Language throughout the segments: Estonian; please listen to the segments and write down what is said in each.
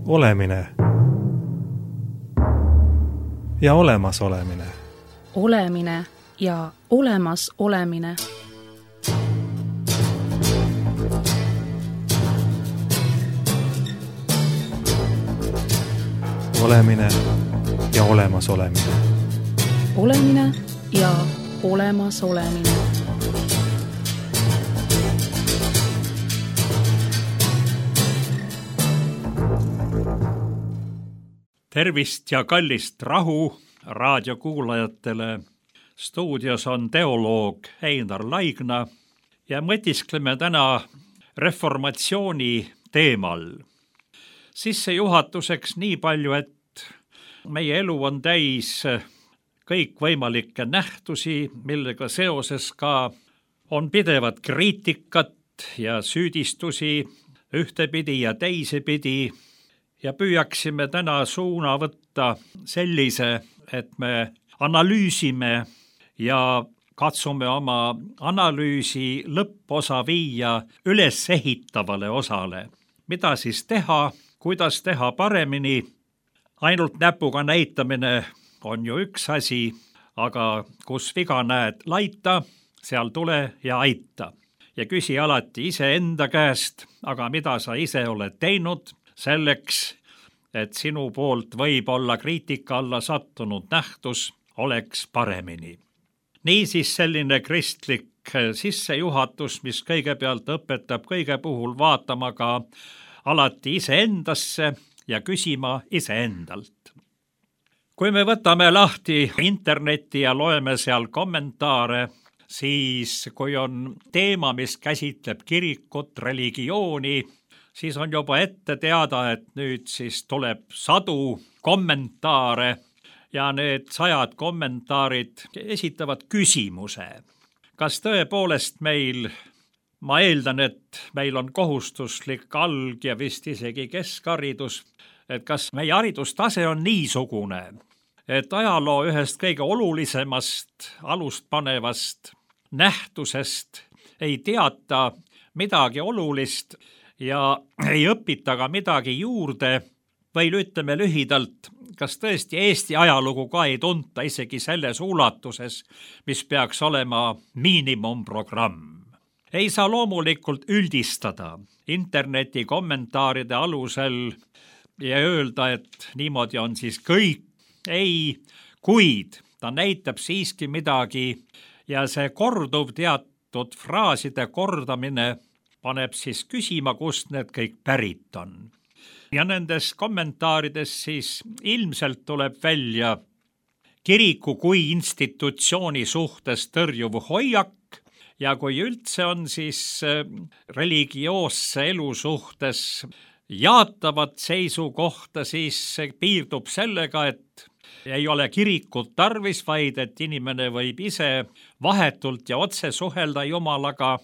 Olemine ja olemasolemine. Olemine ja olemasolemine. Olemine ja olemasolemine. Olemine ja olemasolemine. Tervist ja kallist rahu raadiokuulajatele. Stuudios on teoloog Einar Laigna ja mõtiskleme täna reformatsiooni teemal. Sissejuhatuseks nii palju, et meie elu on täis kõikvõimalikke nähtusi, millega seoses ka on pidevat kriitikat ja süüdistusi ühtepidi ja teisepidi. Ja püüaksime täna suuna võtta sellise, et me analüüsime ja katsume oma analüüsi lõpposa viia ülesehitavale osale. Mida siis teha, kuidas teha paremini? Ainult näpuga näitamine on ju üks asi, aga kus viga näed laita, seal tule ja aita. Ja küsi alati iseenda käest, aga mida sa ise oled teinud selleks, et sinu poolt võib olla kriitika alla sattunud nähtus oleks paremini. Niisiis selline kristlik sissejuhatus, mis kõigepealt õpetab kõige puhul vaatama ka alati iseendasse ja küsima iseendalt. Kui me võtame lahti interneti ja loeme seal kommentaare, siis kui on teema, mis käsitleb kirikut, religiooni, siis on juba ette teada, et nüüd siis tuleb sadu kommentaare ja need 100 kommentaarid esitavad küsimuse. Kas tõepoolest meil, ma eeldan, et meil on kohustuslik alg- ja vist isegi keskharidus, et kas meie haridustase on niisugune, et ajaloo ühest kõige olulisemast alust panevast nähtusest ei teata midagi olulist ja ei õpita ka midagi juurde või ütleme lühidalt, kas tõesti Eesti ajalugu ka ei tunta isegi selles ulatuses, mis peaks olema miinimumprogramm. Ei saa loomulikult üldistada interneti kommentaaride alusel ja öelda, et niimoodi on siis kõik. Ei, kuid ta näitab siiski midagi ja see korduv teatud fraaside kordamine paneb siis küsima, kust need kõik pärit on. Ja nendes kommentaarides siis ilmselt tuleb välja kiriku kui institutsiooni suhtes tõrjuv hoiak ja kui üldse on siis religioosse elu suhtes jaatavat seisukohta, siis piirdub sellega, et ei ole kirikut tarvis, vaid et inimene võib ise vahetult ja otse suhelda Jumalaga.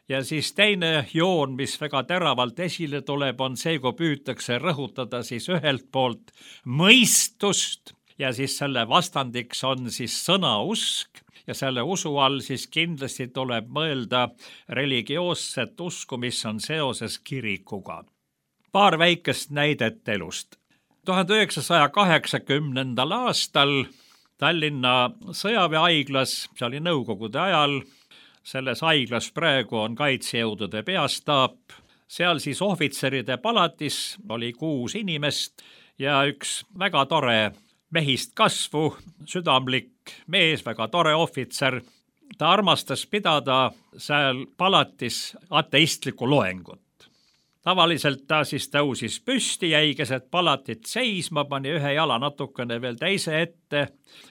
Ja siis teine joon, mis väga teravalt esile tuleb, on see, kui püütakse rõhutada siis ühelt poolt mõistust ja siis selle vastandiks on siis sõnausk ja selle usu all siis kindlasti tuleb mõelda religioosset usku, mis on seoses kirikuga. Paar väikest näidet elust. 1980. aastal Tallinna sõjaväehaiglas, see oli nõukogude ajal, selles haiglas praegu on kaitsejõudude peastaap, seal siis ohvitseride palatis oli 6 inimest ja üks väga tore mehist kasvu, südamlik mees, väga tore ohvitser. Ta armastas pidada seal palatis ateistlikku loengut. Tavaliselt ta siis tõusis püsti, jäi keset palatit seisma, pani ühe jala natukene veel teise ette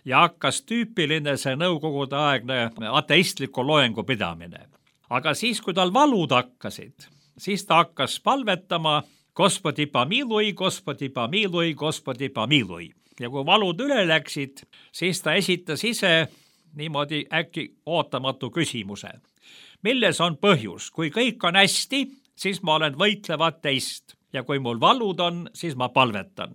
ja hakkas tüüpiline see nõukogude aegne ateistliku loengu pidamine. Aga siis, kui tal valud hakkasid, siis ta hakkas palvetama Gospodi pomilui, Gospodi pomilui, Gospodi pomilui. Ja kui valud üle läksid, siis ta esitas ise niimoodi äkki ootamatu küsimuse. Milles on põhjus? Kui kõik on hästi, siis ma olen võitlev ateist ja kui mul valud on, siis ma palvetan.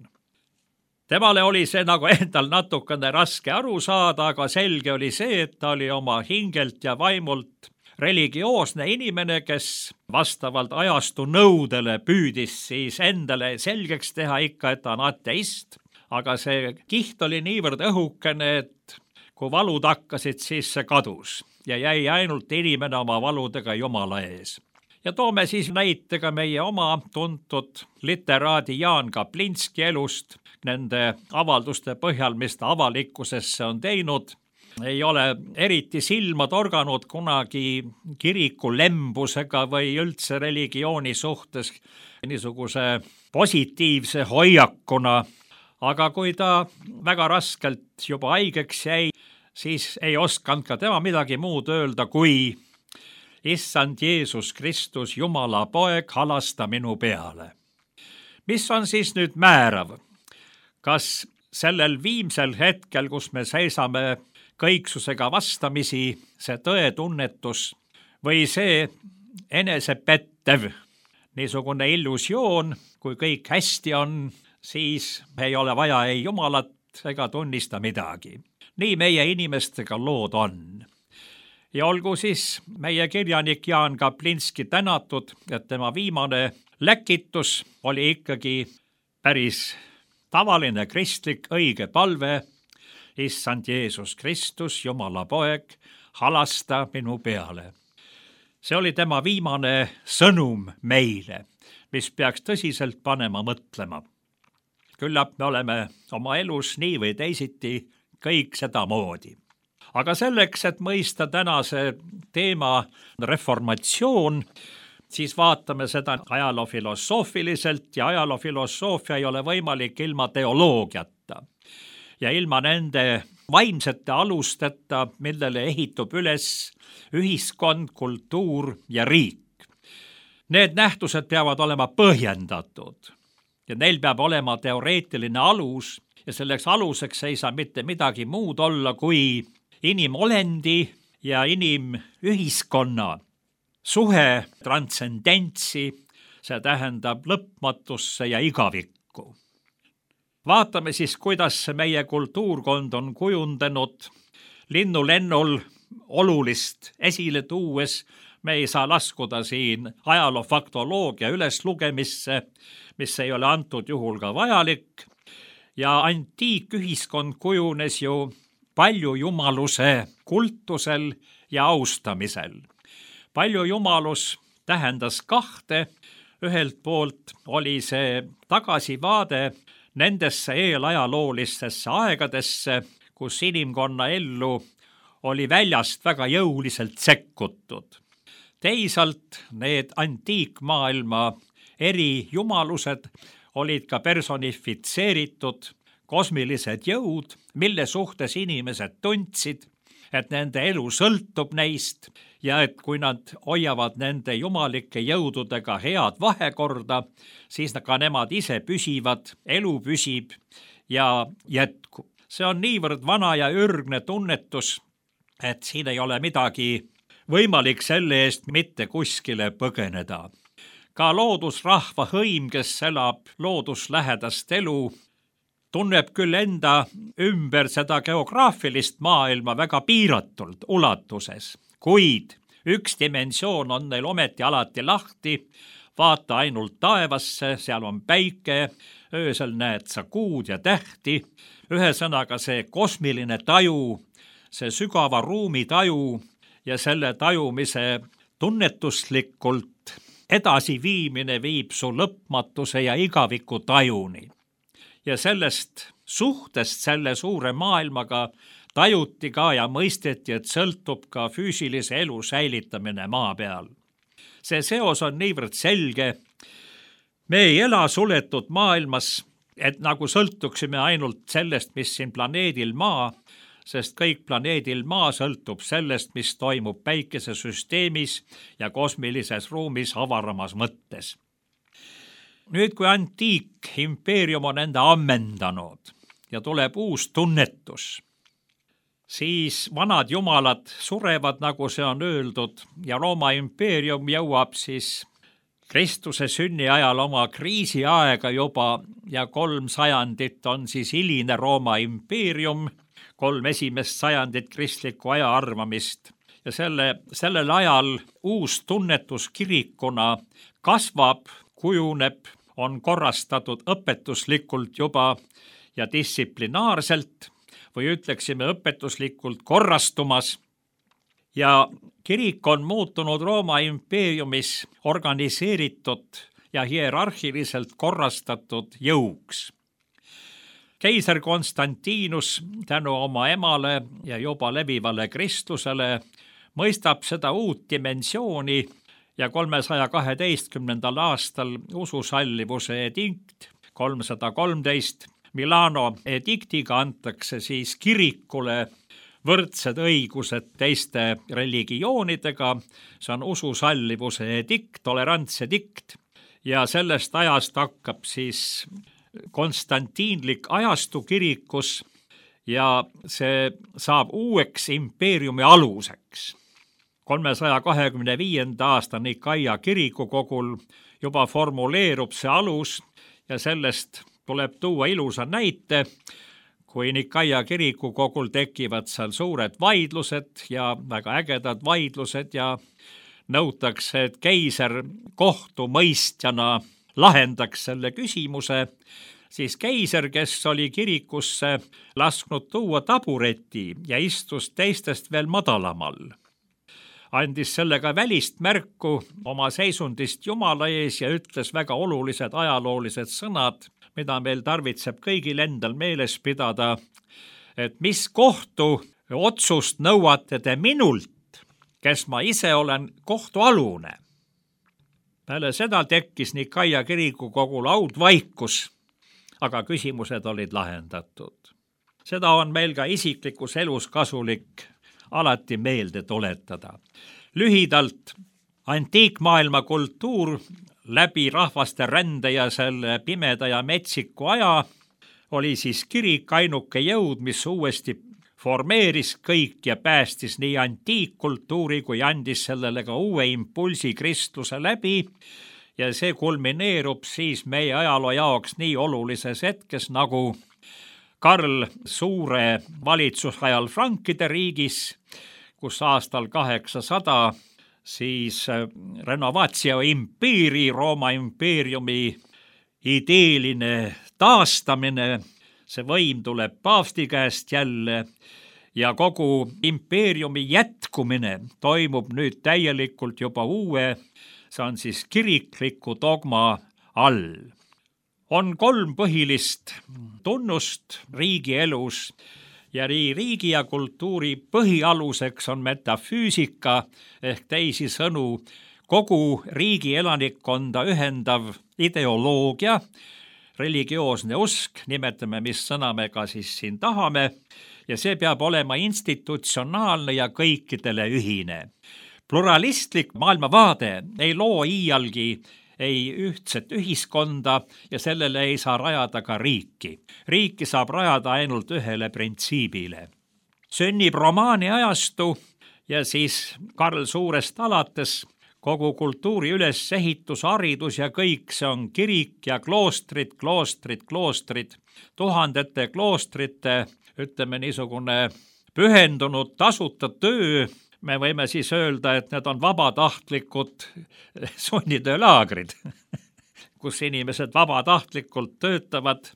Temale oli see nagu endal natukene raske aru saada, aga selge oli see, et ta oli oma hingelt ja vaimult religioosne inimene, kes vastavalt ajastu nõudele püüdis siis endale selgeks teha ikka, et ta on ateist, aga see kiht oli niivõrd õhukene, et kui valud hakkasid, siis see kadus ja jäi ainult inimene oma valudega Jumala ees. Ja toome siis näite ka meie oma tuntud literaadi Jaan Kaplinski elust, nende avalduste põhjal, mis ta avalikkusesse on teinud. Ei ole eriti silma torganud kunagi kiriku lembusega või üldse religiooni suhtes niisuguse positiivse hoiakuna, aga kui ta väga raskelt juba haigeks jäi, siis ei osanud ka tema midagi muud öelda, kui Issand Jeesus Kristus, Jumala poeg, halasta minu peale. Mis on siis nüüd määrav? Kas sellel viimsel hetkel, kus me seisame kõiksusega vastamisi, see tõetunnetus või see enesepettev niisugune illusioon, kui kõik hästi on, siis ei ole vaja ei Jumalat ega tunnista midagi. Nii meie inimestega lood on. Ja olgu siis meie kirjanik Jaan Kaplinski tänatud, et tema viimane läkitus oli ikkagi päris tavaline kristlik õige palve: Issand Jeesus Kristus, Jumala poeg, halasta minu peale. See oli tema viimane sõnum meile, mis peaks tõsiselt panema mõtlema. Küllap me oleme oma elus nii või teisiti kõik sedamoodi. Aga selleks, et mõista tänase teema reformatsioon, siis vaatame seda ajaloofilosoofiliselt ja ajaloofilosoofia ei ole võimalik ilma teoloogiata ja ilma nende vaimsete alusteta, millele ehitub üles ühiskond, kultuur ja riik. Need nähtused peavad olema põhjendatud ja neil peab olema teoreetiline alus ja selleks aluseks ei saa mitte midagi muud olla kui inimolendi ja inimühiskonna suhe transcendentsi, see tähendab lõpmatusse ja igavikku. Vaatame siis, kuidas meie kultuurkond on kujundanud linnulennul olulist esile tuues. Me ei saa laskuda siin ajaloofaktoloogia üleslugemisse, mis ei ole antud juhul ka vajalik. Ja antiikühiskond kujunes ju palju jumaluse kultusel ja austamisel. Palju jumalus tähendas kahte. Ühelt poolt oli see tagasivaade nendesse eelajaloolistesse aegadesse, kus inimkonna ellu oli väljast väga jõuliselt sekkutud. Teisalt need antiikmaailma eri jumalused olid ka personifitseeritud kosmilised jõud, mille suhtes inimesed tundsid, et nende elu sõltub neist ja et kui nad hoiavad nende jumalike jõududega head vahekorda, siis ka nemad ise püsivad, elu püsib ja jätkub. See on niivõrd vana ja ürgne tunnetus, et siin ei ole midagi võimalik selle eest mitte kuskile põgeneda. Ka loodusrahva hõim, kes elab looduslähedast elu, tunneb küll enda ümber seda geograafilist maailma väga piiratult ulatuses, kuid üks dimensioon on neil ometi alati lahti, vaata ainult taevasse, seal on päike, öösel näed sa kuud ja tähti, ühesõnaga see kosmiline taju, see sügava ruumi taju ja selle tajumise tunnetuslikult edasiviimine viib su lõpmatuse ja igaviku tajuni. Ja sellest suhtest selle suure maailmaga tajuti ka ja mõisteti, et sõltub ka füüsilise elu säilitamine maa peal. See seos on niivõrd selge. Me ei ela suletud maailmas, et nagu sõltuksime ainult sellest, mis siin planeedil maa, sest kõik planeedil maa sõltub sellest, mis toimub päikesesüsteemis ja kosmilises ruumis avaramas mõttes. Nüüd, kui antiikimpeerium on enda ammendanud ja tuleb uus tunnetus, siis vanad jumalad surevad, nagu see on öeldud, ja Rooma impeerium jõuab siis Kristuse sünni ajal oma kriisiaega juba ja 3 sajandit on siis hiline Rooma impeerium, 3 esimest sajandit kristlikku ajaarvamist ja sellel ajal uus tunnetus kirikuna kasvab, kujuneb, on korrastatud õpetuslikult juba ja distsiplinaarselt või ütleksime õpetuslikult korrastumas. Ja kirik on muutunud Rooma impeeriumis organiseeritud ja hierarhiliselt korrastatud jõuks. Keiser Konstantinus tänu oma emale ja juba levivale kristlusele mõistab seda uut dimensiooni ja 312. aastal ususallivuse edikt 313 Milano ediktiga antakse siis kirikule võrdsed õigused teiste religioonidega, see on ususallivuse edikt, tolerantsedikt ja sellest ajast hakkab siis konstantiinlik ajastu kirikus ja see saab uueks impeeriumi aluseks. 325. aasta Nikaia kirikukogul juba formuleerub see alus ja sellest tuleb tuua ilusa näite, kui Nikaia kirikukogul tekivad seal suured vaidlused ja väga ägedad vaidlused ja nõutakse, et keiser kohtumõistjana lahendaks selle küsimuse, siis keiser, kes oli kirikusse lasknud tuua tabureti ja istus teistest veel madalamal, andis sellega välist märku oma seisundist Jumala ees ja ütles väga olulised ajaloolised sõnad, mida meil tarvitseb kõigil endal meeles pidada, et mis kohtu otsust nõuate te minult, kes ma ise olen kohtualune. Peale seda tekkis Nikaia kirikukogul haudvaikus, aga küsimused olid lahendatud. Seda on meil ka isiklikus elus kasulik alati meelde tuletada. Lühidalt, antiikmaailma kultuur läbi rahvaste rände ja selle pimeda ja metsiku aja oli siis kirik ainuke jõud, mis uuesti formeeris kõik ja päästis nii antiikkultuuri kui andis sellele ka uue impulsi kristluse läbi ja see kulmineerub siis meie ajaloo jaoks nii olulises hetkes nagu Karl Suure valitsusajal Frankide riigis, kus aastal 800 siis renovatio imperii, Rooma impeeriumi ideeline taastamine, see võim tuleb paavsti käest jälle ja kogu impeeriumi jätkumine toimub nüüd täielikult juba uue, see on siis kirikliku dogma all. On 3 põhilist tunnust riigielus ja riigi ja kultuuri põhialuseks on metafüüsika ehk teisisõnu kogu riigi elanikkonda ühendav ideoloogia, religioosne usk, nimetame, mis sõna me ka siis siin tahame, ja see peab olema institutsionaalne ja kõikidele ühine. Pluralistlik maailmavaade ei loo iialgi ei ühtset ühiskonda ja sellele ei saa rajada ka riiki. Riiki saab rajada ainult ühele printsiibile. Sünnib romaani ajastu ja siis Karl Suurest alates kogu kultuuri ülesehitus, haridus ja kõik see on kirik ja kloostrid, tuhandete kloostrite, ütleme niisugune pühendunud tasuta töö. Me võime siis öelda, et need on vabatahtlikud sunnitöölaagrid, kus inimesed vabatahtlikult töötavad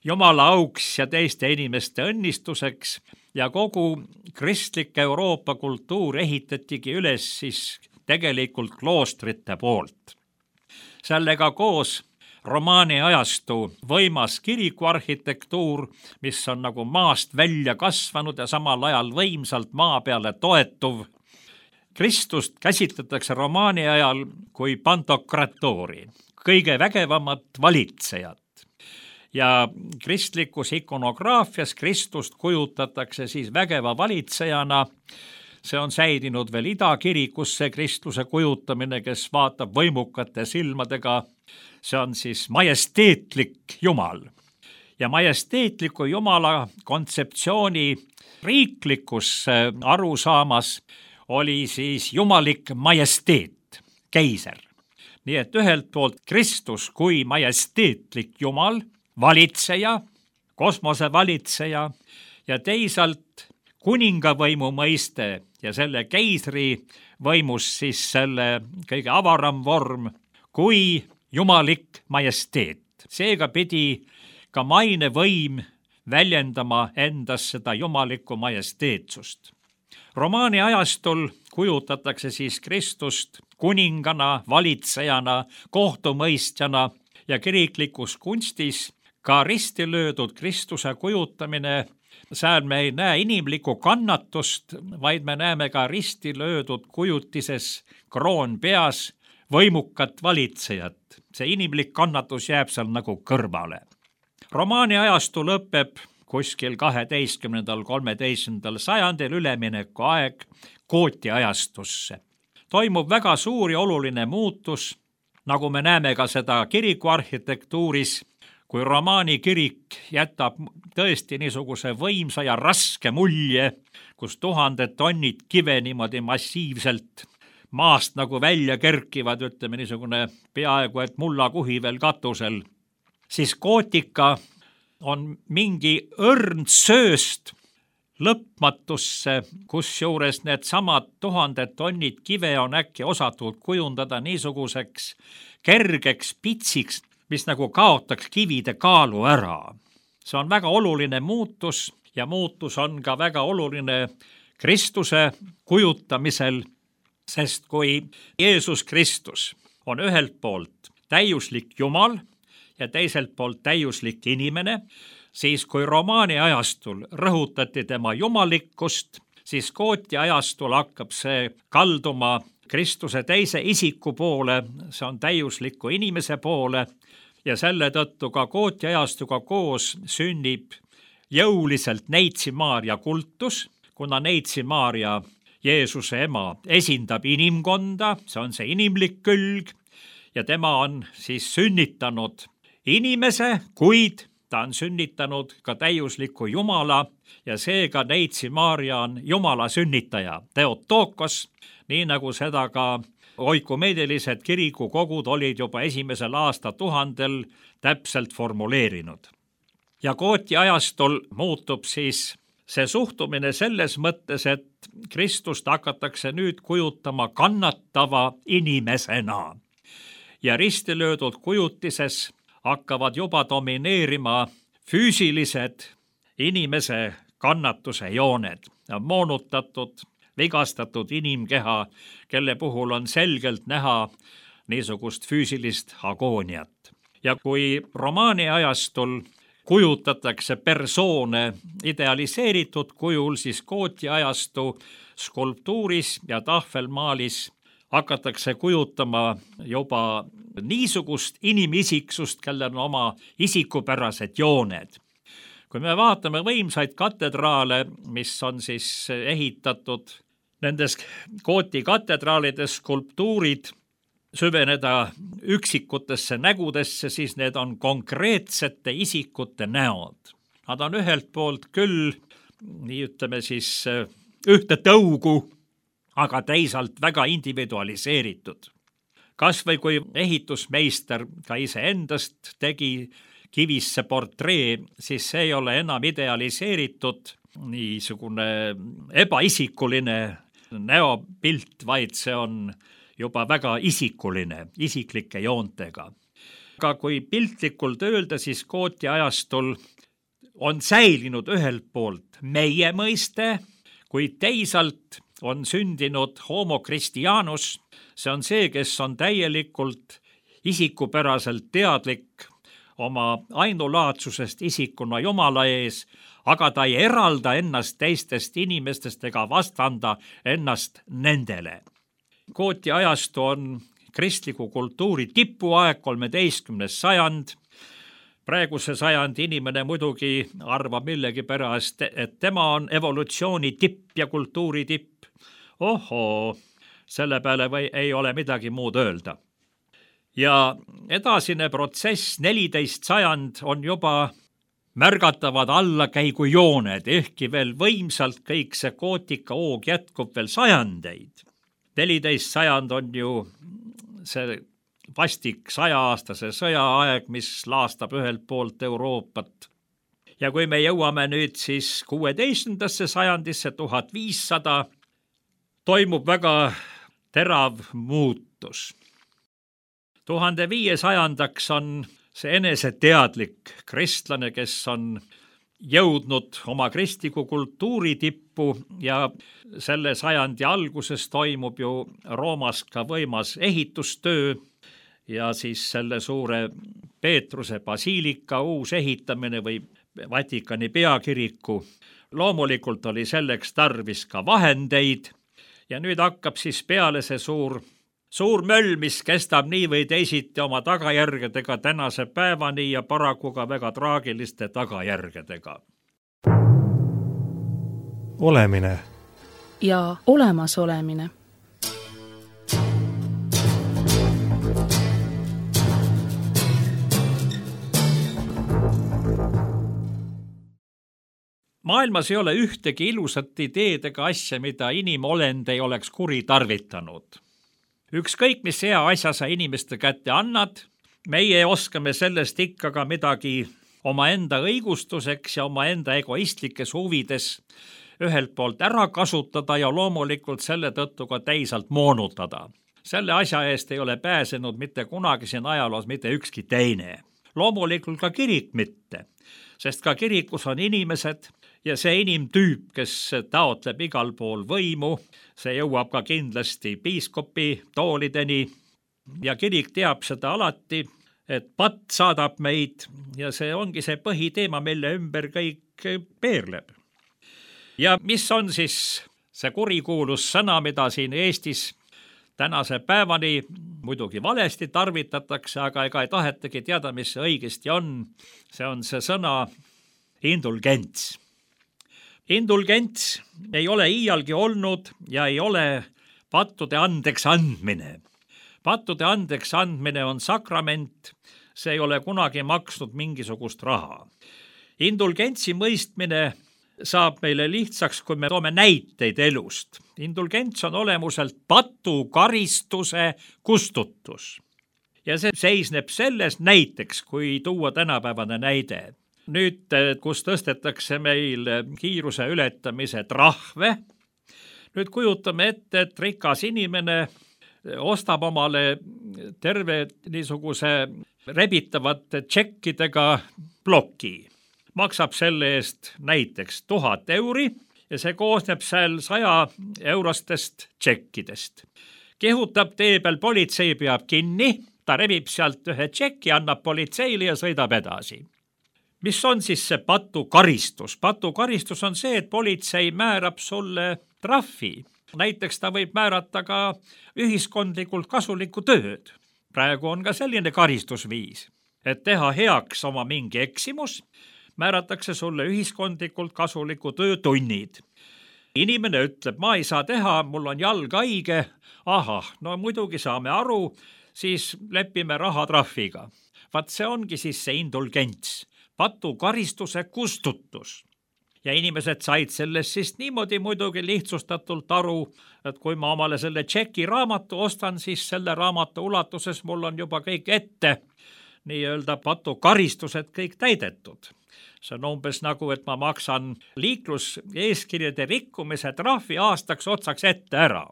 Jumala auks ja teiste inimeste õnnistuseks ja kogu kristlik Euroopa kultuur ehitatigi üles siis tegelikult kloostrite poolt. Sellega koos romaani ajastu võimas kirikuarhitektuur, mis on nagu maast välja kasvanud ja samal ajal võimsalt maa peale toetuv. Kristust käsitletakse romaani ajal kui pantokratoori, kõige vägevamat valitsejat. Ja kristlikus ikonograafias Kristust kujutatakse siis vägeva valitsejana. See on säilinud veel idakirikusse kristluse kujutamine, kes vaatab võimukate silmadega. See on siis majesteetlik Jumal. Ja majesteetliku Jumala kontseptsiooni riiklikus arusaamas oli siis jumalik majesteet, keiser. Nii et ühelt poolt Kristus kui majesteetlik Jumal, valitseja, kosmose valitseja ja teisalt kuningavõimu mõiste ja selle keisri võimus siis selle kõige avaram vorm kui jumalik majesteet. Seega pidi ka mainevõim väljendama endas seda jumalikku majesteetsust. Romaani ajastul kujutatakse siis Kristust kuningana, valitsejana, kohtumõistjana ja kiriklikus kunstis ka risti löödud Kristuse kujutamine. Seal me ei näe inimlikku kannatust, vaid me näeme ka risti löödud kujutises kroon peas võimukat valitsejat. See inimlik kannatus jääb seal nagu kõrvale. Romaani ajastu lõpeb kuskil 12.–13. sajandil ülemineku aeg gooti ajastusse. Toimub väga suur ja oluline muutus, nagu me näeme ka seda kirikuarhitektuuris, kui romaani kirik jätab tõesti niisuguse võimsa ja raske mulje, kus 1000 tonnid kive niimoodi massiivselt maast nagu välja kerkivad, ütleme niisugune peaaegu et mullakuhi veel katusel, siis gootika on mingi õrn sööst lõpmatusse, kusjuures need samad 1000 tonnid kive on äkki osatud kujundada niisuguseks kergeks pitsiks, mis nagu kaotaks kivide kaalu ära. See on väga oluline muutus ja muutus on ka väga oluline Kristuse kujutamisel, sest kui Jeesus Kristus on ühelt poolt täiuslik Jumal ja teiselt poolt täiuslik inimene, siis kui romaani ajastul rõhutati tema jumalikkust, siis gooti ajastul hakkab see kalduma Kristuse teise isiku poole, see on täiusliku inimese poole ja selle tõttu ka gooti ajastuga koos sünnib jõuliselt Neitsi Maarja kultus, kuna Neitsi Maarja, Jeesuse ema, esindab inimkonda, see on see inimlik külg ja tema on siis sünnitanud inimese, kuid ta on sünnitanud ka täiusliku Jumala ja seega Neitsi Maarja on Jumala sünnitaja, Theotokos, nii nagu seda ka oikumeedilised kirikukogud olid juba esimesel aastatuhandel täpselt formuleerinud. Ja gooti ajastul muutub siis see suhtumine selles mõttes, et Kristust hakatakse nüüd kujutama kannatava inimesena ja risti löödud kujutises hakkavad juba domineerima füüsilised inimese kannatuse jooned, moonutatud, vigastatud inimkeha, kelle puhul on selgelt näha niisugust füüsilist agooniat. Ja kui romaani ajastul kujutatakse persoone idealiseeritud kujul, siis gooti ajastu skulptuuris ja tahvelmaalis hakatakse kujutama juba niisugust inimisiksust, kellel on oma isikupärased jooned. Kui me vaatame võimsaid katedraale, mis on siis ehitatud, nendes gooti katedraalides skulptuurid süveneda üksikutesse nägudesse, siis need on konkreetsete isikute näod. Nad on ühelt poolt küll, nii ütleme siis, ühte tõugu, aga teisalt väga individualiseeritud. Kas või kui ehitusmeister ka iseendast tegi kivisse portree, siis see ei ole enam idealiseeritud niisugune ebaisikuline näopilt, vaid see on juba väga isikuline, isiklike joontega. Aga kui piltlikult öelda, siis gooti ajastul on säilinud ühelt poolt meie mõiste, kuid teisalt on sündinud homo Christianus, see on see, kes on täielikult isikupäraselt teadlik oma ainulaadsusest isikuna Jumala ees, aga ta ei eralda ennast teistest inimestest ega vastanda ennast nendele. Gooti ajastu on kristliku kultuuri tipuaeg, 13. sajand. Praeguse sajandi inimene muidugi arvab millegipärast, et tema on evolutsiooni tipp ja kultuuri tipp. Ohoo, selle peale ei ole midagi muud öelda. Ja edasine protsess, 14. sajand on juba märgatavad allakäigujooned, ehkki veel võimsalt kõik see gootika hoog jätkub veel sajandeid. 14. sajand on ju see vastik 100-aastase sõjaaeg, mis laastab ühelt poolt Euroopat. Ja kui me jõuame nüüd siis 16. sajandisse, 1500, toimub väga terav muutus. 1500 on see eneseteadlik kristlane, kes on jõudnud oma kristliku kultuuri tippu ja selle sajandi alguses toimub ju Roomas ka võimas ehitustöö ja siis selle suure Peetruse basiilika uus ehitamine või Vatikani peakiriku. Loomulikult oli selleks tarvis ka vahendeid ja nüüd hakkab siis peale see suur möll, mis kestab nii või teisiti oma tagajärgedega tänase päevani ja paraku ka väga traagiliste tagajärgedega. Olemine ja olemasolemine. Maailmas ei ole ühtegi ilusat ideed ega asja, mida inimolend ei oleks kuritarvitanud. Ükskõik, mis hea asja sa inimeste kätte annad, meie oskame sellest ikka ka midagi omaenda õigustuseks ja omaenda egoistlikes huvides ühelt poolt ära kasutada ja loomulikult selle tõttu ka teisalt moonutada. Selle asja eest ei ole pääsenud mitte kunagi siin ajaloos mitte ükski teine. Loomulikult ka kirik mitte, sest ka kirikus on inimesed ja see inimtüüp, kes taotleb igal pool võimu, see jõuab ka kindlasti piiskopi toolideni ja kirik teab seda alati, et patt saadab meid ja see ongi see põhiteema, mille ümber kõik peerleb. Ja mis on siis see kurikuulus sõna, mida siin Eestis tänase päevani muidugi valesti tarvitatakse, aga ega ei tahetagi teada, mis see õigesti on. See on see sõna indulgents. Indulgents ei ole iialgi olnud ja ei ole pattude andeks andmine. Pattude andeks andmine on sakrament, see ei ole kunagi maksnud mingisugust raha. Indulgentsi mõistmine saab meile lihtsaks, kui me toome näiteid elust. Indulgents on olemuselt patukaristuse kustutus. Ja see seisneb selles näiteks, kui tuua tänapäevane näide. Nüüd, kus tõstetakse meil kiiruse ületamise trahve, nüüd kujutame ette, et rikas inimene ostab omale terve niisuguse rebitavate tšekkidega ploki. Maksab selle eest näiteks 1000 euri ja see koosneb seal 100 eurostest tšekkidest. Kehutab tee peal, politsei peab kinni, ta rebib sealt ühe tšekki, annab politseile ja sõidab edasi. Mis on siis see patukaristus? Patukaristus on see, et politsei määrab sulle trahvi. Näiteks ta võib määrata ka ühiskondlikult kasulikku tööd. Praegu on ka selline karistusviis, et teha heaks oma mingi eksimus, määratakse sulle ühiskondlikult kasuliku töötunnid. Inimene ütleb, ma ei saa teha, mul on jalg haige. Ahah, no muidugi saame aru, siis lepime rahatrahviga. Vaat see ongi siis see indulgents, patukaristuse kustutus. Ja inimesed said sellest siis niimoodi muidugi lihtsustatult aru, et kui ma omale selle tšeki raamatu ostan, siis selle raamatu ulatuses mul on juba kõik ette nii-öelda patukaristused kõik täidetud. See on umbes nagu, et ma maksan liikluseeskirjade rikkumise trahvi aastaks otsaks ette ära.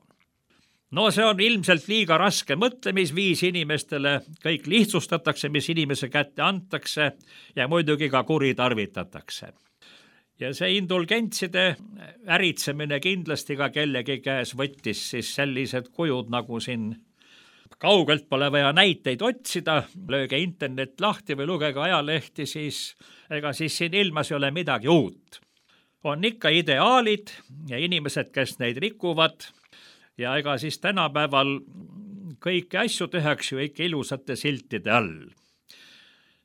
No see on ilmselt liiga raske mõtlemisviis inimestele, kõik lihtsustatakse, mis inimese kätte antakse ja muidugi ka kuritarvitatakse. Ja see indulgentside äritsemine kindlasti ka kellegi käes võttis siis sellised kujud, nagu siin kaugelt pole vaja näiteid otsida, lööge internet lahti või lugege ajalehti, siis ega siis siin ilmas ei ole midagi uut. On ikka ideaalid ja inimesed, kes neid rikuvad ja ega siis tänapäeval kõiki asju tehakse ju ikka ilusate siltide all.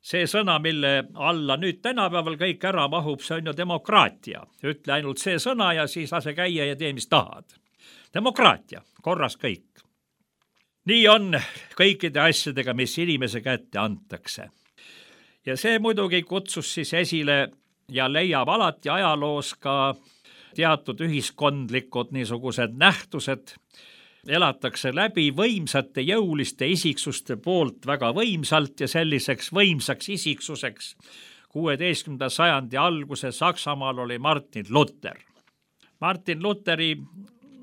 See sõna, mille alla nüüd tänapäeval kõik ära mahub, see on ju demokraatia. Ütle ainult see sõna ja siis lase käia ja tee, mis tahad. Demokraatia, korras kõik. Nii on kõikide asjadega, mis inimese kätte antakse. Ja see muidugi kutsus siis esile ja leiab alati ajaloos ka teatud ühiskondlikud niisugused nähtused, elatakse läbi võimsate jõuliste isiksuste poolt väga võimsalt ja selliseks võimsaks isiksuseks 16. sajandi alguse Saksamaal oli Martin Luther. Martin Lutheri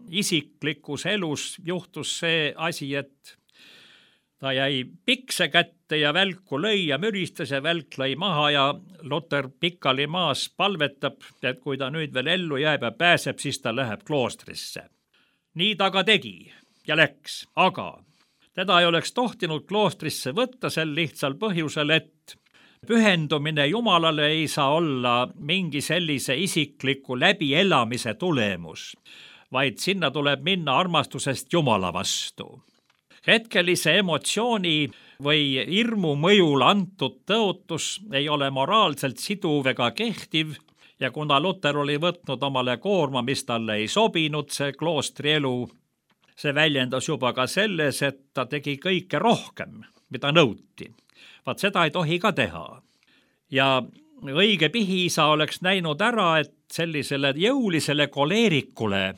isiklikus elus juhtus see asi, et ta jäi pikse kätte ja välku lõi ja müristas ja välk lõi maha ja Luter pikali maas palvetab, et kui ta nüüd veel ellu jääb ja pääseb, siis ta läheb kloostrisse. Nii ta ka tegi ja läks, aga teda ei oleks tohtinud kloostrisse võtta sel lihtsal põhjusel, et pühendumine Jumalale ei saa olla mingi sellise isikliku läbielamise tulemus, vaid sinna tuleb minna armastusest Jumala vastu. Hetkelise emotsiooni või hirmu mõjul antud tõotus ei ole moraalselt siduv ega kehtiv ja kuna Luter oli võtnud omale koorma, mis talle ei sobinud, see kloostrielu, see väljendas juba ka selles, et ta tegi kõike rohkem, mida nõuti. Vaat seda ei tohi ka teha. Ja õige pihiisa oleks näinud ära, et sellisele jõulisele koleerikule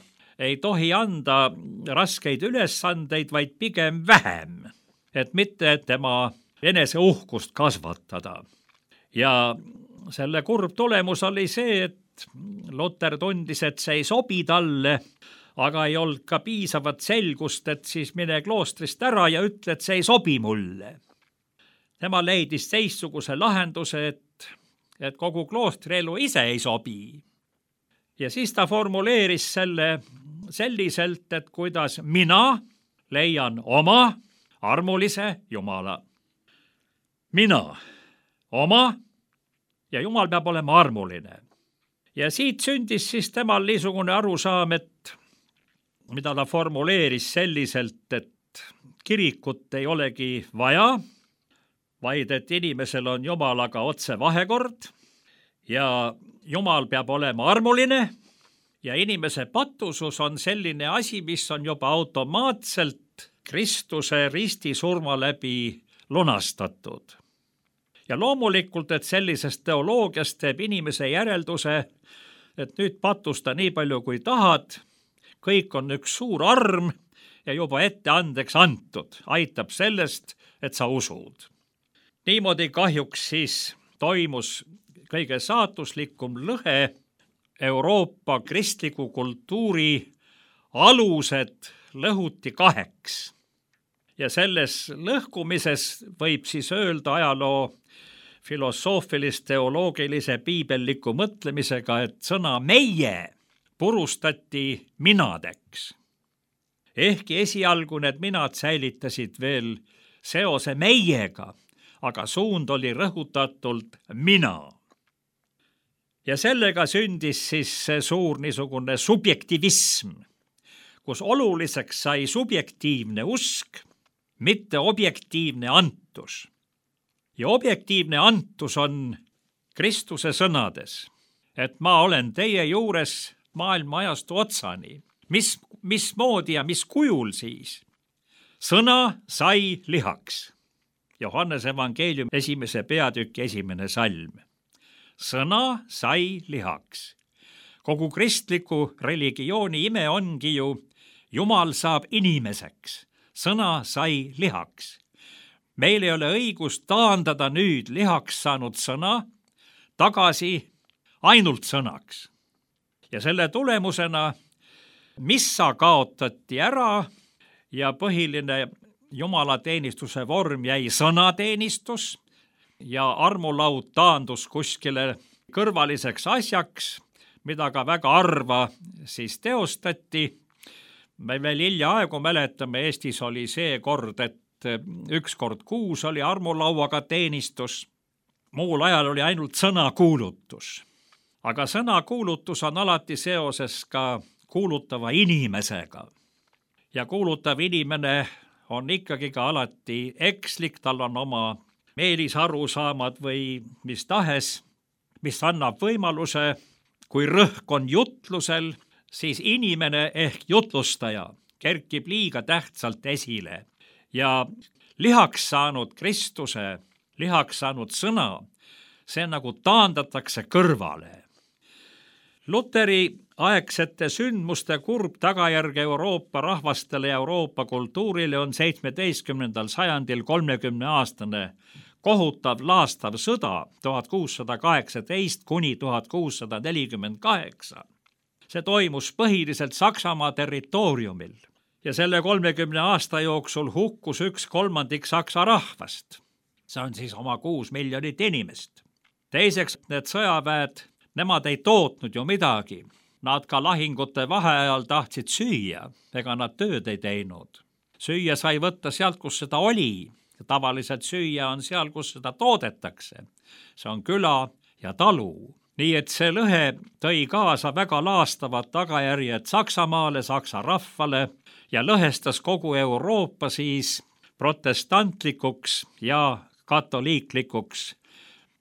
ei tohi anda raskeid ülesandeid, vaid pigem vähem, et mitte tema eneseuhkust kasvatada. Ja selle kurb tulemus oli see, et Luter tundis, et see ei sobi talle, aga ei olnud ka piisavat selgust, et siis mine kloostrist ära ja ütle, et see ei sobi mulle. Tema leidis teistsuguse lahenduse, et kogu kloostrielu ise ei sobi. Ja siis ta formuleeris selle selliselt, et kuidas mina leian oma armulise Jumala. Mina oma ja Jumal peab olema armuline. Ja siit sündis siis temal niisugune arusaam, et mida ta formuleeris selliselt, et kirikut ei olegi vaja, vaid et inimesel on Jumalaga otse vahekord ja Jumal peab olema armuline ja inimese patusus on selline asi, mis on juba automaatselt Kristuse ristisurma läbi lunastatud. Ja loomulikult, et sellisest teoloogiast teeb inimese järelduse, et nüüd patusta nii palju kui tahad, kõik on üks suur arm ja juba ette andeks antud, aitab sellest, et sa usud. Niimoodi kahjuks siis toimus kõige saatuslikum lõhe Euroopa kristliku kultuuri alused lõhuti kaheks. Ja selles lõhkumises võib siis öelda ajaloo filosoofilis-teoloogilise piibelliku mõtlemisega, et sõna meie purustati minadeks. Ehkki esialgu need minad säilitasid veel seose meiega, aga suund oli rõhutatult mina. Ja sellega sündis siis see suur niisugune subjektivism, kus oluliseks sai subjektiivne usk, mitte objektiivne antus. Ja objektiivne antus on Kristuse sõnades, et ma olen teie juures maailma ajastu otsani. Mismoodi ja mis kujul siis? Sõna sai lihaks. Johannese evangeelium 1. peatüki 1. salm. Sõna sai lihaks. Kogu kristliku religiooni ime ongi ju, Jumal saab inimeseks. Sõna sai lihaks. Meil ei ole õigust taandada nüüd lihaks saanud sõna tagasi ainult sõnaks. Ja selle tulemusena missa kaotati ära ja põhiline jumalateenistuse vorm jäi sõnateenistus ja armulaud taandus kuskile kõrvaliseks asjaks, mida ka väga harva siis teostati. Me veel hiljaaegu mäletame, Eestis oli see kord, et 1 kord kuus oli armulauaga teenistus, muul ajal oli ainult sõnakuulutus. Aga sõnakuulutus on alati seoses ka kuulutava inimesega. Ja kuulutav inimene on ikkagi ka alati ekslik, tal on oma meelisarusaamad või mis tahes, mis annab võimaluse, kui rõhk on jutlusel, siis inimene ehk jutlustaja kerkib liiga tähtsalt esile. Ja lihaks saanud Kristuse, lihaks saanud sõna, see nagu taandatakse kõrvale. Luteri aegsete sündmuste kurb tagajärg Euroopa rahvastele ja Euroopa kultuurile on 17. sajandil 30-aastane kohutav laastav sõda 1618 kuni 1648. See toimus põhiliselt Saksamaa territooriumil ja selle 30 aasta jooksul hukkus 1/3 Saksa rahvast. See on siis oma 6 miljonit inimest. Teiseks, need sõjaväed, nemad ei tootnud ju midagi. Nad ka lahingute vaheajal tahtsid süüa, ega nad tööd ei teinud. Süüa sai võtta sealt, kus seda oli. Tavaliselt süüa on seal, kus seda toodetakse. See on küla ja talu. Nii et see lõhe tõi kaasa väga laastavad tagajärjed Saksamaale, Saksa rahvale ja lõhestas kogu Euroopa siis protestantlikuks ja katoliiklikuks,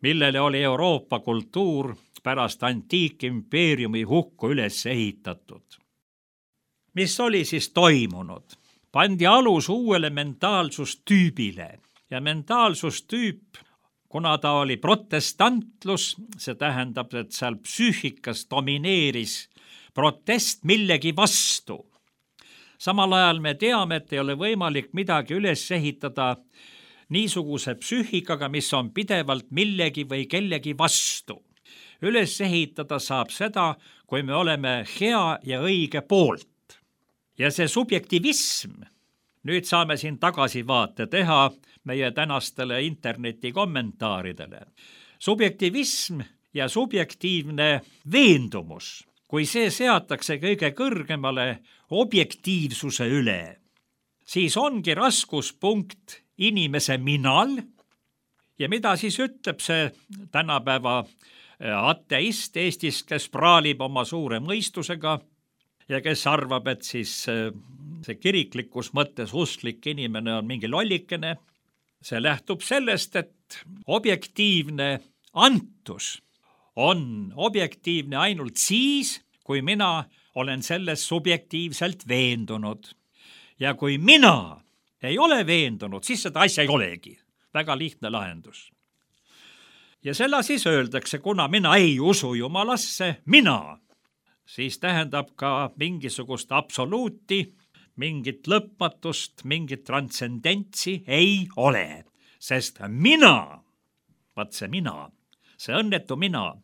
millele oli Euroopa kultuur pärast antiikimpeeriumi hukku üles ehitatud. Mis oli siis toimunud? Pandi alus uuele mentaalsustüübile ja mentaalsustüüp, kuna ta oli protestantlus, see tähendab, et seal psüühikas domineeris protest millegi vastu. Samal ajal me teame, et ei ole võimalik midagi üles ehitada niisuguse psüühikaga, mis on pidevalt millegi või kellegi vastu. Üles ehitada saab seda, kui me oleme hea ja õige poolt. Ja see subjektivism, nüüd saame siin tagasivaate teha meie tänastele interneti kommentaaridele. Subjektivism ja subjektiivne veendumus, kui see seatakse kõige kõrgemale objektiivsuse üle, siis ongi raskuspunkt inimese minal ja mida siis ütleb see tänapäeva ateist Eestis, kes praalib oma suure mõistusega ja kes arvab, et siis see kiriklikus mõttes usklik inimene on mingi lollikene. See lähtub sellest, et objektiivne antus on objektiivne ainult siis, kui mina olen selles subjektiivselt veendunud. Ja kui mina ei ole veendunud, siis seda asja ei olegi. Väga lihtne lahendus. Ja selle siis öeldakse, kuna mina ei usu Jumalasse, siis tähendab ka mingisugust absoluuti, mingit lõpmatust, mingit transcendentsi ei ole. Sest mina, see õnnetu mina,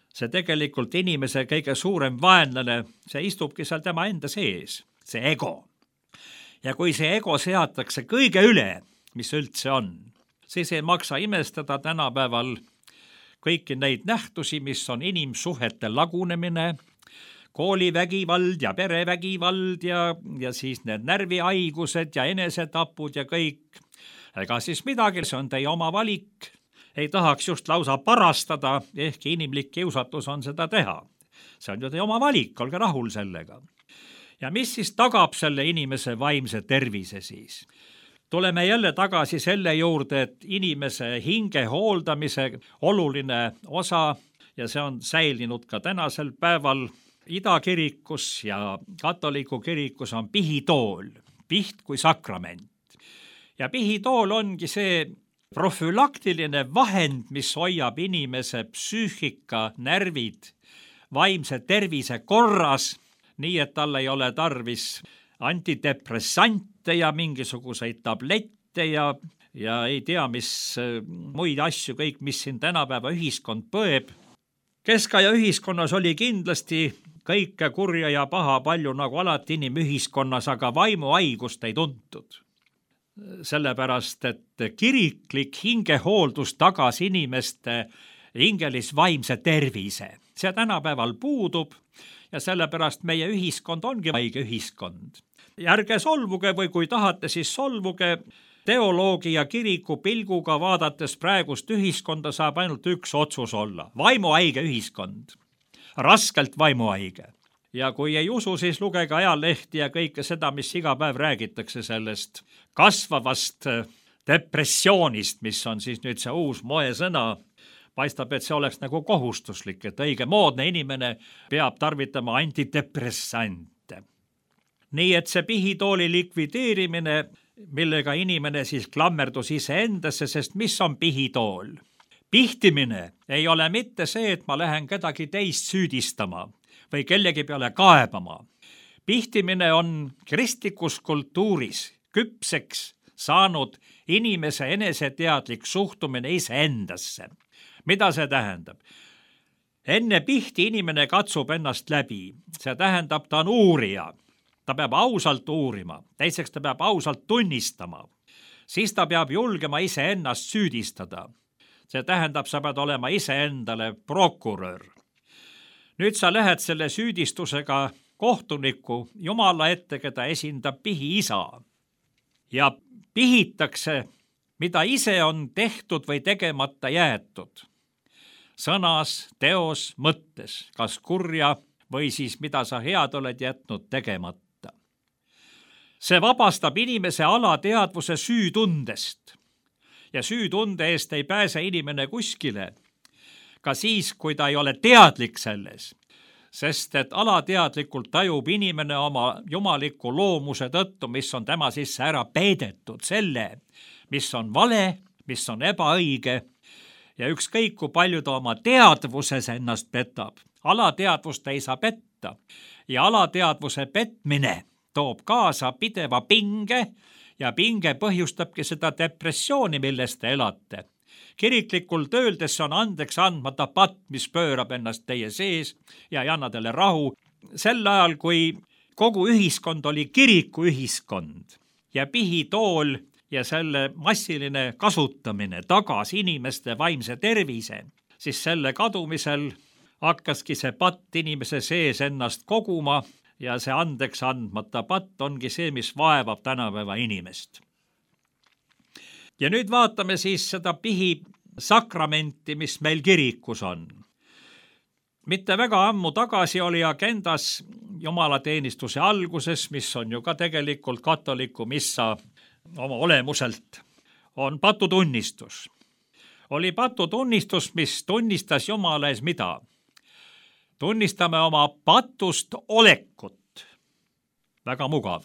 see tegelikult inimese kõige suurem vaenlane, see istubki seal tema enda sees, see ego. Ja kui see ego seatakse kõige üle, mis üldse on, siis ei maksa imestada tänapäeval kõiki neid nähtusi, mis on inimsuhete lagunemine, koolivägivald ja perevägivald ja siis need närvihaigused ja enesetapud ja kõik. Ega siis midagi, see on teie oma valik. Ei tahaks just lausa parastada, ehkki inimlik kiusatus on seda teha. See on ju teie oma valik, olge rahul sellega. Ja mis siis tagab selle inimese vaimse tervise siis? Tuleme jälle tagasi selle juurde, et inimese hinge hooldamise oluline osa ja see on säilinud ka tänasel päeval Idakirikus ja katoliku kirikus on pihitool, piht kui sakrament. Ja pihitool ongi see profülaktiline vahend, mis hoiab inimese psüühika, närvid, vaimse tervise korras, nii et tal ei ole tarvis antidepressante ja mingisuguseid tablette ja ei tea, mis muid asju kõik, mis siin tänapäeva ühiskond põeb. Keskaja ühiskonnas oli kindlasti kõike kurja ja paha palju nagu alati inimühiskonnas, aga vaimuhaigust ei tuntud. Sellepärast, et kiriklik hingehooldus tagas inimeste hingelis vaimse tervise. See tänapäeval puudub ja sellepärast meie ühiskond ongi haige ühiskond. Ärge solvuge või kui tahate, siis solvuge. Teoloogi ja kiriku pilguga vaadates praegust ühiskonda saab ainult üks otsus olla. Vaimuhaige ühiskond. Raskelt vaimuhaige. Ja kui ei usu, siis lugege ajalehti ja kõike seda, mis iga päev räägitakse sellest kasvavast depressioonist, mis on siis nüüd see uus moesõna. Paistab, et see oleks nagu kohustuslik, et õige moodne inimene peab tarvitama antidepressante. Nii et see pihitooli likvideerimine, millega inimene siis klammerdus iseendasse, sest mis on pihitool? Pihtimine ei ole mitte see, et ma lähen kedagi teist süüdistama või kellegi peale kaebama. Pihtimine on kristlikus kultuuris küpseks saanud inimese eneseteadlik suhtumine iseendasse. Mida see tähendab? enne pihti inimene katsub ennast läbi, see tähendab, ta on uurija. Ta peab ausalt uurima, teiseks ta peab ausalt tunnistama, siis ta peab julgema iseennast süüdistada. See tähendab, sa pead olema iseendale prokurör. Nüüd sa lähed selle süüdistusega kohtuniku Jumala ette, keda esindab pihiisa. Ja pihitakse, mida ise on tehtud või tegemata jäetud. Sõnas, teos, mõttes, kas kurja või siis mida sa head oled jätnud tegemata. See vabastab inimese alateadvuse süütundest ja süütunde eest ei pääse inimene kuskile, ka siis, kui ta ei ole teadlik selles, sest et alateadlikult tajub inimene oma jumaliku loomuse tõttu, mis on tema sisse ära peidetud, selle, mis on vale, mis on ebaõige ja ükskõik kui palju ta oma teadvuses ennast petab, alateadvust ei saa petta ja alateadvuse petmine toob kaasa pideva pinge ja pinge põhjustabki seda depressiooni, milles te elate. Kiriklikult öeldes see on andeks andmata patt, mis pöörab ennast teie sees ja ei anna teile rahu. Sel ajal, kui kogu ühiskond oli kirikuühiskond ja pihitool ja selle massiline kasutamine tagas inimeste vaimse tervise, siis selle kadumisel hakkaski see patt inimese sees ennast koguma ja see andeks andmata patt ongi see, mis vaevab tänapäeva inimest. Ja nüüd vaatame siis seda pihi sakramenti, mis meil kirikus on. Mitte väga ammu tagasi oli agendas jumalateenistuse alguses, mis on ju ka tegelikult katoliku missa oma olemuselt, on patutunnistus. Oli patutunnistus, mis tunnistas Jumala ees mida? Tunnistame oma patust olekut. Väga mugav.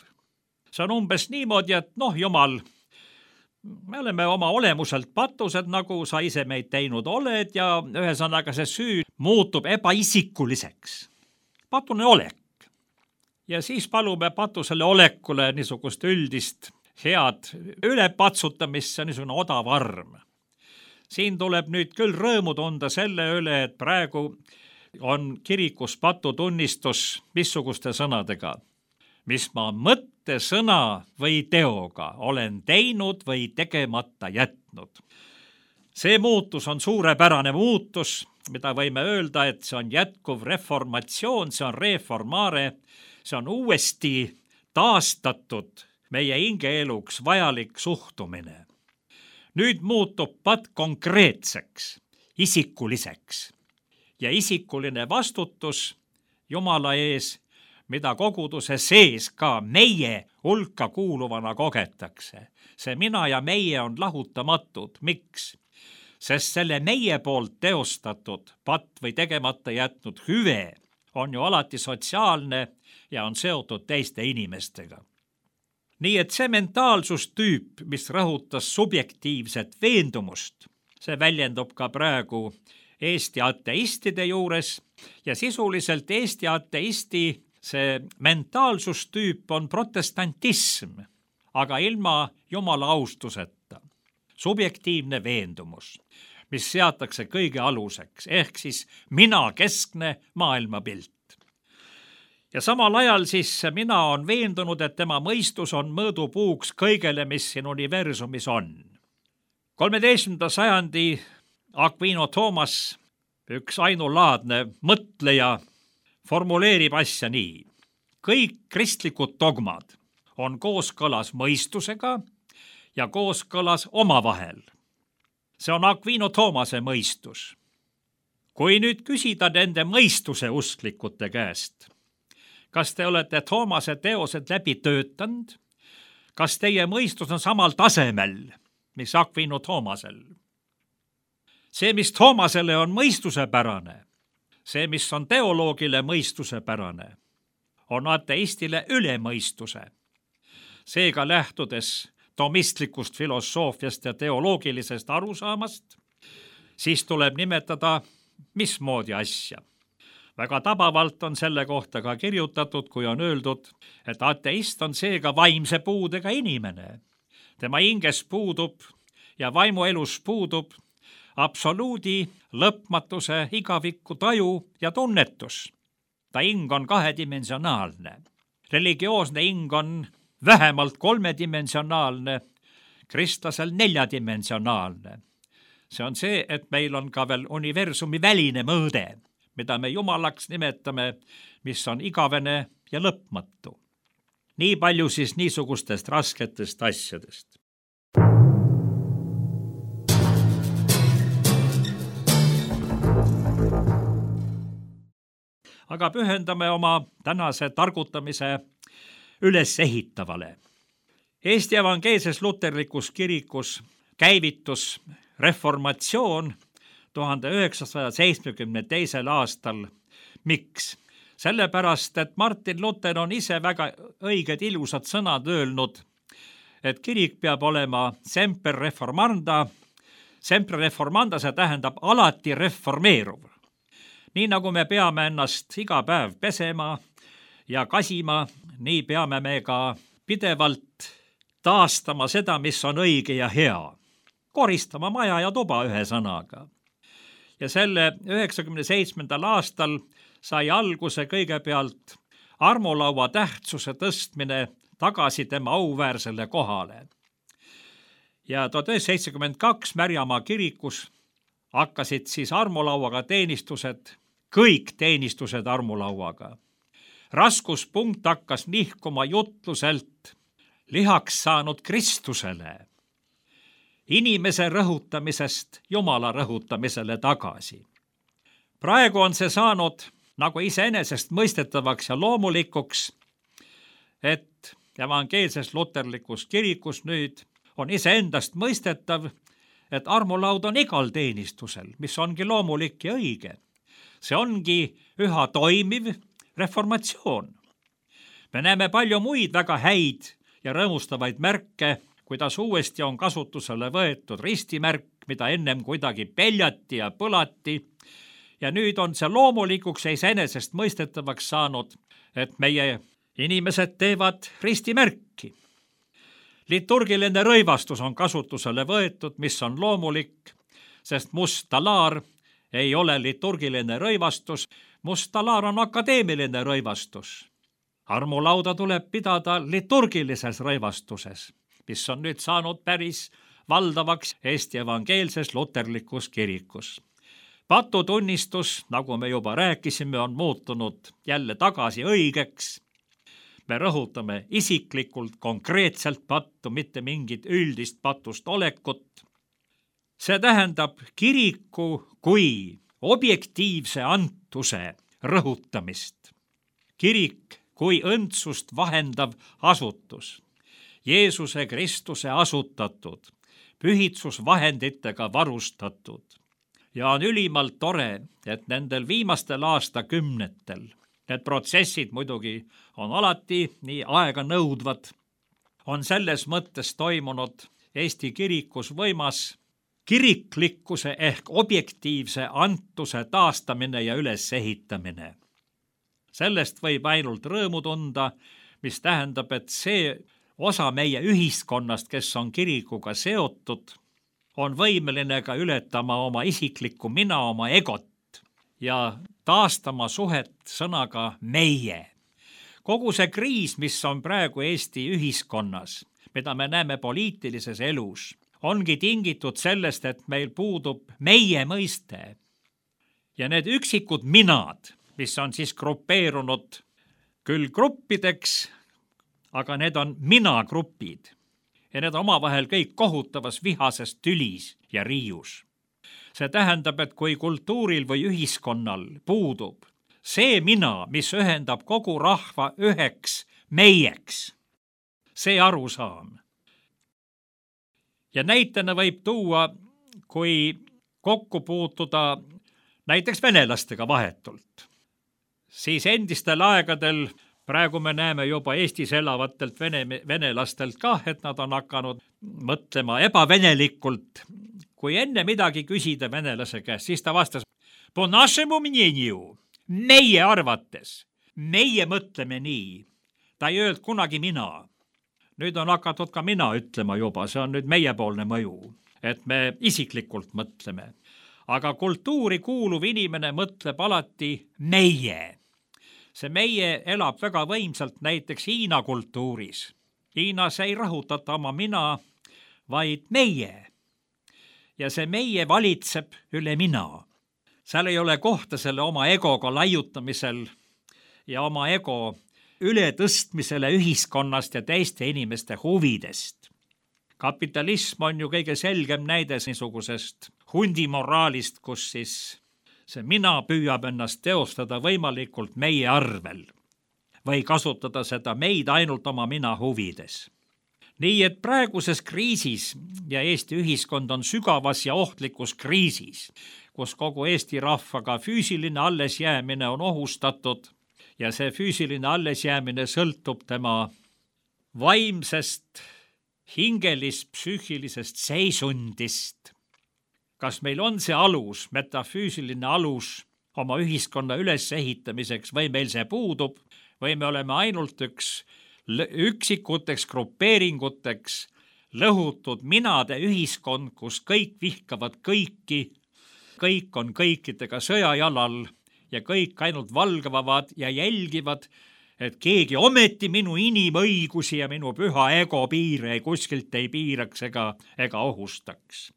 See on umbes niimoodi, et Jumal, me oleme oma olemuselt patused, nagu sa ise meid teinud oled ja ühesõnaga see süü muutub ebaisikuliseks. Patune olek. Ja siis palume patusele olekule niisugust üldist head ülepatsutamist, see on niisugune odav arm. Siin tuleb nüüd küll rõõmu tunda selle üle, et praegu on kirikus patutunnistus missuguste sõnadega, mis ma mõtte, sõna või teoga olen teinud või tegemata jätnud. See muutus on suurepärane muutus, mida võime öelda, et see on jätkuv reformatsioon, see on reformare, see on uuesti taastatud meie hingeeluks vajalik suhtumine. Nüüd muutub pat konkreetseks, isikuliseks. Ja isikuline vastutus Jumala ees, mida koguduse sees ka meie hulka kuuluvana kogetakse. See mina ja meie on lahutamatud. Miks? Sest selle meie poolt teostatud patt või tegemata jätnud hüve on ju alati sotsiaalne ja on seotud teiste inimestega. Nii et see mentaalsustüüp, mis rõhutas subjektiivset veendumust, see väljendub ka praegu Eesti ateistide juures ja sisuliselt Eesti ateisti see mentaalsustüüp on protestantism, aga ilma Jumala austuseta. Subjektiivne veendumus, mis seatakse kõige aluseks, ehk siis mina-keskne maailmapilt. Ja samal ajal siis mina on veendunud, et tema mõistus on mõõdupuuks kõigele, mis siin universumis on. 13. sajandi Aquino Thomas, üks ainulaadne mõtleja, formuleerib asja nii. Kõik kristlikud dogmad on kooskõlas mõistusega ja kooskõlas omavahel. See on Aquino Thomase mõistus. Kui nüüd küsida nende mõistuse usklikute käest, kas te olete Thomase teosed läbi töötanud? Kas teie mõistus on samal tasemel, mis Aquino Thomasel? See, mis Thomasele on mõistusepärane, see, mis on teoloogile mõistusepärane, on ateistile üle mõistuse. Seega lähtudes tomistlikust filosoofiast ja teoloogilisest arusaamast, siis tuleb nimetada mismoodi asja. Väga tabavalt on selle kohta ka kirjutatud, kui on öeldud, et ateist on seega vaimse puudega inimene. Tema hinges puudub ja vaimuelus puudub absoluudi, lõpmatuse, igaviku taju ja tunnetus. Ta hing on kahedimensionaalne. Religioosne hing on vähemalt kolmedimensionaalne, kristlasel neljadimensionaalne. See on see, et meil on ka veel universumi väline mõõde, mida me jumalaks nimetame, mis on igavene ja lõpmatu. Nii palju siis niisugustest rasketest asjadest. Aga pühendame oma tänase targutamise ülesehitavale. Eesti Evangeelses Luterlikus kirikus käivitus reformatsioon 1972. aastal. Miks? Sellepärast, et Martin Luther on ise väga õiged ilusad sõnad öelnud, et kirik peab olema semper reformanda. Semper reformanda, see tähendab alati reformeeruv. Nii nagu me peame ennast iga päev pesema ja kasima, nii peame me ka pidevalt taastama seda, mis on õige ja hea. Koristama maja ja tuba ühe sõnaga. Ja selle 97. aastal sai alguse kõigepealt armulaua tähtsuse tõstmine tagasi tema auväärsele kohale. Ja 1972 Märjamaa kirikus hakkasid siis armulauaga teenistused, kõik teenistused armulauaga. Raskuspunkt hakkas nihkuma jutluselt lihaks saanud Kristusele, inimese rõhutamisest Jumala rõhutamisele tagasi. Praegu on see saanud nagu iseenesest mõistetavaks ja loomulikuks, et evangeelses luterlikus kirikus nüüd on iseendast mõistetav, et armulaud on igal teenistusel, mis ongi loomulik ja õige. See ongi üha toimiv reformatsioon. Me näeme palju muid väga häid ja rõõmustavaid märke, kuidas uuesti on kasutusele võetud ristimärk, mida ennem kuidagi peljati ja põlati. Ja nüüd on see loomulikuks ja iseenesest mõistetavaks saanud, et meie inimesed teevad ristimärki. Liturgiline rõivastus on kasutusele võetud, mis on loomulik, sest must talaar ei ole liturgiline rõivastus, must talaar on akadeemiline rõivastus. Armulauda tuleb pidada liturgilises rõivastuses, mis on nüüd saanud päris valdavaks Eesti evangeelses luterlikus kirikus. Patutunnistus, nagu me juba rääkisime, on muutunud jälle tagasi õigeks. Me rõhutame isiklikult konkreetselt pattu, mitte mingit üldist patust olekut. See tähendab kiriku kui objektiivse antuse rõhutamist. Kirik kui õndsust vahendav asutus, Jeesuse Kristuse asutatud, pühitsusvahenditega varustatud. Ja on ülimalt tore, et nendel viimastel aastakümnetel need protsessid muidugi on alati nii aega nõudvad, on selles mõttes toimunud Eesti kirikus võimas kiriklikkuse ehk objektiivse antuse taastamine ja ülesehitamine. Sellest võib ainult rõõmu tunda, mis tähendab, et see osa meie ühiskonnast, kes on kirikuga seotud, on võimeline ka ületama oma isiklikku mina, oma egot ja taastama suhet sõnaga meie. Kogu see kriis, mis on praegu Eesti ühiskonnas, mida me näeme poliitilises elus, ongi tingitud sellest, et meil puudub meie mõiste. Ja need üksikud minad, mis on siis grupeerunud küll gruppideks, aga need on mina-grupid. Ja need omavahel kõik kohutavas vihases tülis ja riius. See tähendab, et kui kultuuril või ühiskonnal puudub see mina, mis ühendab kogu rahva üheks meieks, see arusaam. Ja näitena võib tuua, kui kokku puutuda näiteks venelastega vahetult, siis endistel aegadel, praegu me näeme juba Eestis elavatelt venelastelt ka, et nad on hakanud mõtlema ebavenelikult. Kui enne midagi küsida venelase käest, siis ta vastas, po našemu мнению, meie arvates, meie mõtleme nii. Ta ei öelnud kunagi mina. Nüüd on hakatud ka mina ütlema juba, see on nüüd meiepoolne mõju. et me isiklikult mõtleme. Aga kultuuri kuuluv inimene mõtleb alati meie. See meie elab väga võimsalt näiteks Hiina kultuuris. Hiinas ei rõhutata oma mina, vaid meie. Ja see meie valitseb üle mina. Seal ei ole kohta selle oma egoga laiutamisel ja oma ego ületõstmisele ühiskonnast ja teiste inimeste huvidest. Kapitalism on ju kõige selgem näide niisugusest hundimoraalist, kus siis see mina püüab ennast teostada võimalikult meie arvel või kasutada seda meid ainult oma mina huvides. Nii et praeguses kriisis ja Eesti ühiskond on sügavas ja ohtlikus kriisis, kus kogu Eesti rahvaga füüsiline allesjäämine on ohustatud ja see füüsiline allesjäämine sõltub tema vaimsest, hingelis-psüühilisest seisundist. Kas meil on see alus, metafüüsiline alus oma ühiskonna ülesehitamiseks või meil see puudub või me oleme ainult üksikuteks grupeeringuteks lõhutud minade ühiskond, kus kõik vihkavad kõiki, kõik on kõikidega sõjajalal ja kõik ainult valgavad ja jälgivad, et keegi ometi minu inimõigusi ja minu püha ego piire kuskilt ei piiraks ega ohustaks.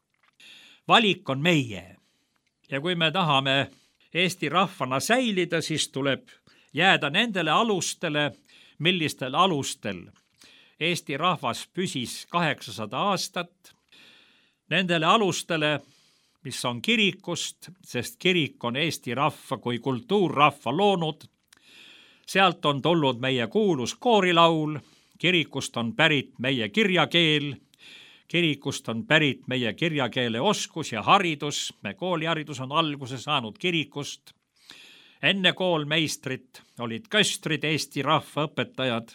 Valik on meie. Ja kui me tahame Eesti rahvana säilida, siis tuleb jääda nendele alustele, millistel alustel Eesti rahvas püsis 800 aastat, nendele alustele, mis on kirikust, sest kirik on Eesti rahva kui kultuurrahva loonud. Sealt on tulnud meie kuulus koorilaul, kirikust on pärit meie kirjakeel, kirikust on pärit meie kirjakeele oskus ja haridus, me kooliharidus on alguse saanud kirikust. Enne koolmeistrit olid köstrid Eesti rahva õpetajad.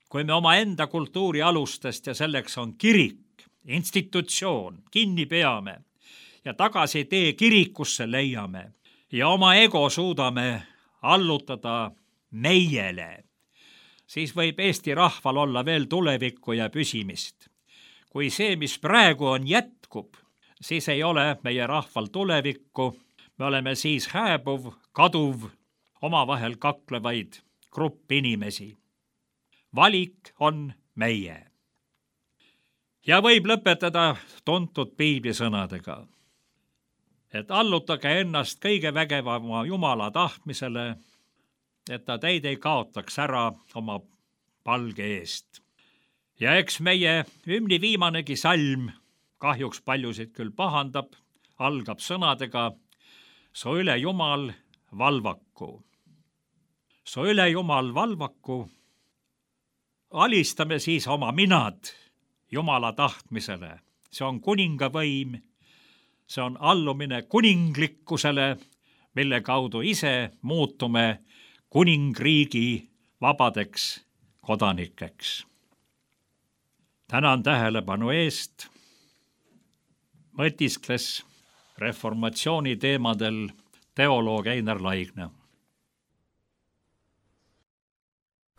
Kui me oma enda kultuuri alustest ja selleks on kirik, institutsioon, kinni peame ja tagasi tee kirikusse leiame ja oma ego suudame allutada meiele, siis võib Eesti rahval olla veel tulevikku ja püsimist. Kui see, mis praegu on, jätkub, siis ei ole meie rahval tulevikku, me oleme siis hääbuv, kaduv, omavahel kaklevaid grupp inimesi. Valik on meie. Ja võib lõpetada tuntud piiblisõnadega, et allutage ennast kõige vägevama Jumala tahtmisele, et ta teid ei kaotaks ära oma palge eest. Ja eks meie hümni viimanegi salm, kahjuks paljusid küll pahandab, algab sõnadega su üle Jumal valvaku. Su üle Jumal valvaku. Alistame siis oma minad Jumala tahtmisele. See on kuningavõim, see on allumine kuninglikkusele, mille kaudu ise muutume kuningriigi vabadeks kodanikeks. Tänan tähelepanu eest. Mõtiskles reformatsiooni teemadel teoloog Einar Laigna.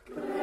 Tu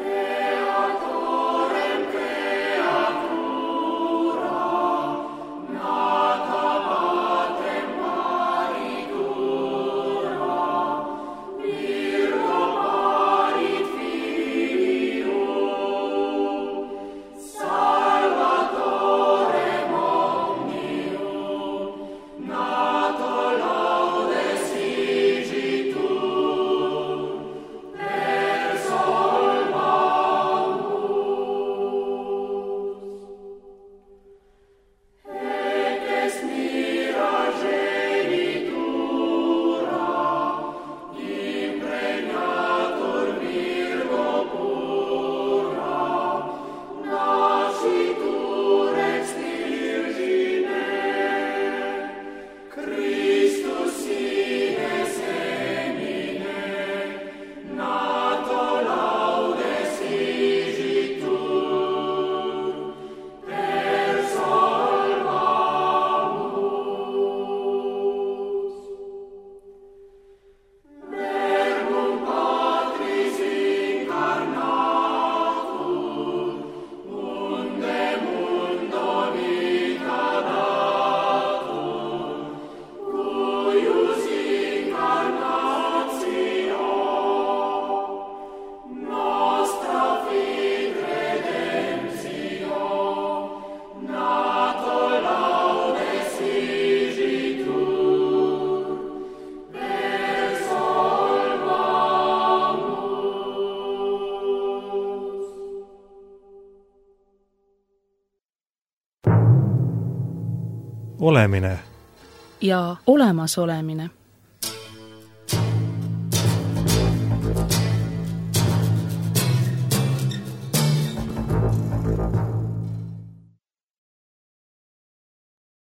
olemine ja olemasolemine.